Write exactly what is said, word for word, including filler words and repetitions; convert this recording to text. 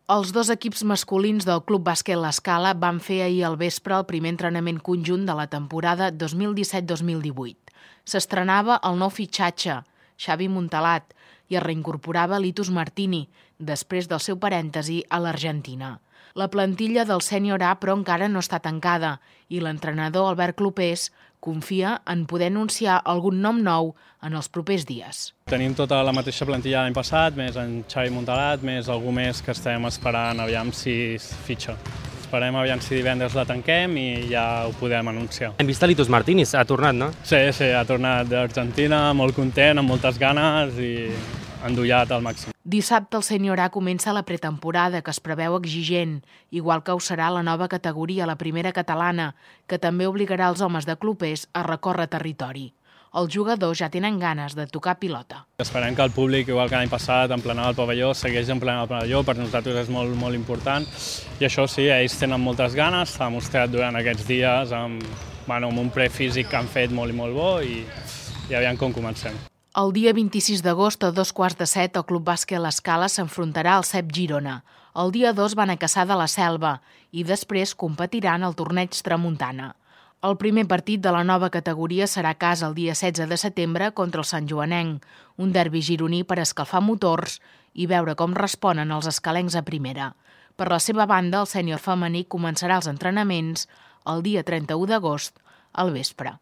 Els dos equips masculins del Club Bàsquet L'Escala van fer ahir al vespre el primer entrenament conjunt de la temporada dos mil disset dos mil divuit. S'estrenava el nou fitxatge, Xavi Montalat, i es reincorporava Litus Martini, després del seu parèntesi a l'Argentina. La plantilla del sènior A, però, encara no està tancada i l'entrenador Albert Clopés confia en poder anunciar algun nom nou en els propers dies. Tenim tota la mateixa plantilla l'any passat, més en Xavi Montalat, més algú més que estem esperant aviam si es fitxa. Esperem aviam si divendres la tanquem i ja ho podem anunciar. Hem vist a Litus Martini, ha tornat, no? Sí, sí, ha tornat d'Argentina, molt content, amb moltes ganes i endollat al màxim. Dissabte el sènior A comença la pretemporada, que es preveu exigent, igual que ho serà la nova categoria, la primera catalana, que també obligarà els homes de Clopés a recórrer territori. Els jugadors ja tenen ganes de tocar pilota. Esperem que el públic, igual que l'any passat, emplenar el pavelló, segueix emplenant el pavelló, per nosaltres és molt, molt important. I això sí, ells tenen moltes ganes, s'ha mostrat durant aquests dies amb, bueno, amb un prefísic que han fet molt i molt bo i, i aviam com comencem. El dia vint-i-sis d'agost a dos quarts de set el Club Bàsquet L'Escala s'enfrontarà al C E P Girona. El dia dos van a Cassà de la Selva i després competiran al torneig Tramuntana. El primer partit de la nova categoria serà a casa el dia setze de setembre contra el Sant Joanenc, un derbi gironí per escalfar motors i veure com responen els escalencs a primera. Per la seva banda, el sènior femení començarà els entrenaments el dia trenta-u d'agost al vespre.